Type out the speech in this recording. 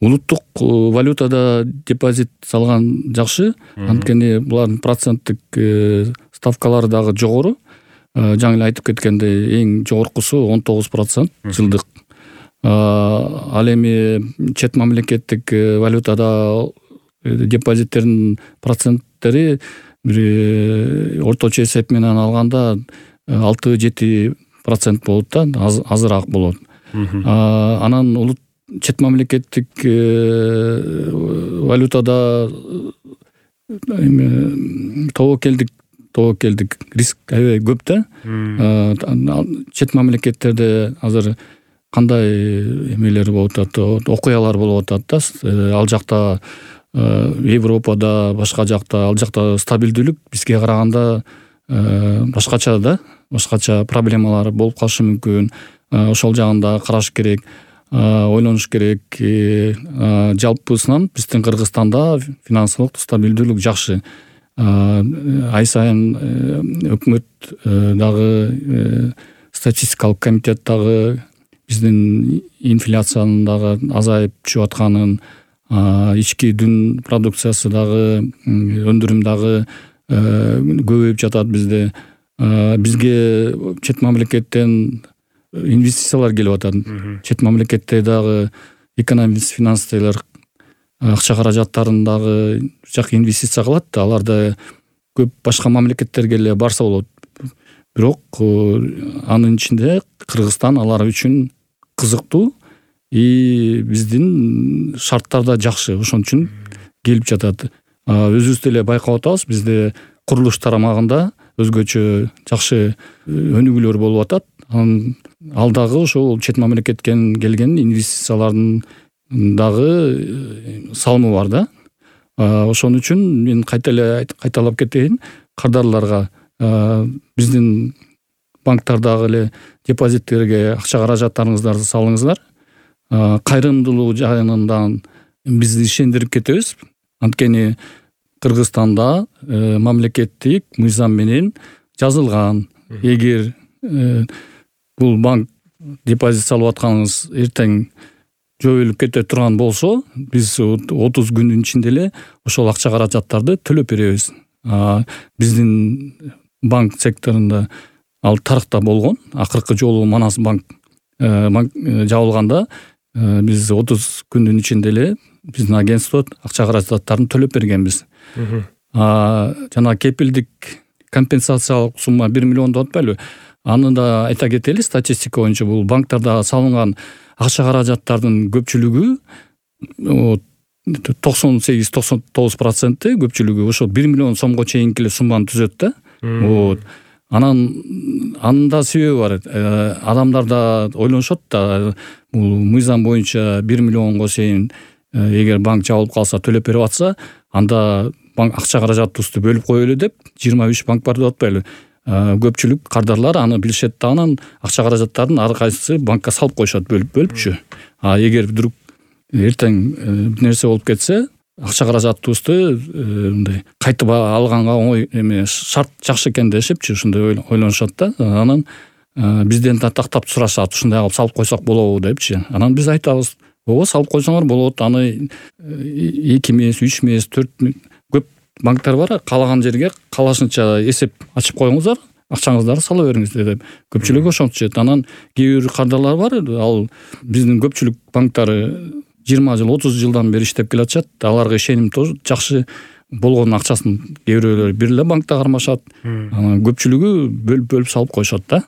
улуттук валютада депозит салган жакшы, анткени булардын проценттик ставкалары дагы жогору. Жаңы эле айтып кеткендей, эң жогоркусу 19% жылдык. Ал эми чет мамлекеттик валютада депозиттердин проценттери бир орточо эсеп менен алганда 6-7% болот да, азыраак болот. Анан чет мамлекеттик валютада тобокелдик риск аябай көп да. Чет мамлекеттерде азыр кандай эмелер болуп атат, окуялар болуп атат да. Ал жакта Европада, башка жакта, ал жакта стабилдүүлүк бизге караганда башкача да, башкача проблемалар болуп калышы мүмкүн. Ошол жагында караш керек, ойлонуш керек. Жалпысынан биздин Кыргызстанда финансылык стабилдүүлүк жакшы. Ай сайын өкмөт дагы, статистикалык комитет дагы биздин инфляциянын дагы азайып түшүп атканын, ички дүн продукциясы дагы, өндүрүм дагы көбөйүп жатат бизде. Бизге чет мамлекеттен инвестициялар келип атат. Чет мамлекетте дагы экономист, финансистер акча каражаттарын дагы жак инвестиция кылат. Аларда көп башка мамлекеттерге эле барса болот. Бирок анын ичинде Кыргызстан алар үчүн кызыктуу, биздин шарттар да жакшы. Ошон үчүн келип жатат. Өзүбүз деле байкап атабыз, бизде курулуш тарамагында өзгөчө жакшы өнүгүүлөр болуп атат. Ал дагы ошол чет мамлекеттен келген инвестициялардын дагы салымы бар да. Ошон үчүн мен кайталап кетейин, кардарларга биздин банктардагы эле депозиттерге акча каражаттарыңыздарды салыңыздар. Кайрымдуулук жайынан бизди ишендирип кетебиз. Анткени Кыргызстанда мамлекеттик мыйзам менен жазылган. Эгер бул банк депозит салып атканыңыз эртең жоюлуп кете турган болсо, биз 30 күндүн ичинде эле ошол акча каражаттарды төлөп беребиз. Биздин банк секторунда ал тарыхта болгон. Акыркы жолу Манас банк жабылганда биз 30 күндүн ичинде эле биздин агентство акча каражаттарын төлөп бергенбиз. Жана кепилдик компенсациялык сумма 1 миллион деп атпайлыбы? Аны да айта кетели, статистика боюнча бул банктарда салынган акча каражаттардын көпчүлүгү 98-99% көпчүлүгү ошо 1 миллион сомго чейинки эле сумманы түзөт да. Анын да себеби бар. Адамдар да ойлонушот да, бул мыйзам боюнча 1 миллионго чейин эгер банк жабылып калса төлөп берип атса, анда банк акча каражатыбызды бөлүп коелу деп 23 банк бар деп атпайлы. Көпчүлүк кардарлар аны билишет да, анан акча каражаттарын ар кайсысы банкка салып коюшат бөлүпчү. Эгер вдруг эртең бир нерсе болуп кетсе, акча каражатыбызды мындай кайтып алганга оңой эме шарт жакшы экен дешипчи, ушундай ойлонушат да. Анан бизден да тактап сурашат, ушундай кылып салып койсок болобу депчи. Анан биз айтабыз, ооба салып койсоңор болот. Аны 2 эмес, 3 эмес, 4 көп банктар бар. Каалаган жерге каалашынча эсеп ачып коюңуздар, акчаңыздарды сала бериңиздер деп. Көпчүлүк ошентишет. Анан кээ бир кардарлар бар, ал биздин көпчүлүк банктары 20 жыл, 30 жылдан бери иштеп келатышат. Аларга ишеним тоже жакшы болгон акчасын кээ бирөөлөр бир эле банкта кармашат. Анан көпчүлүгү бөлүп салып коюшат да.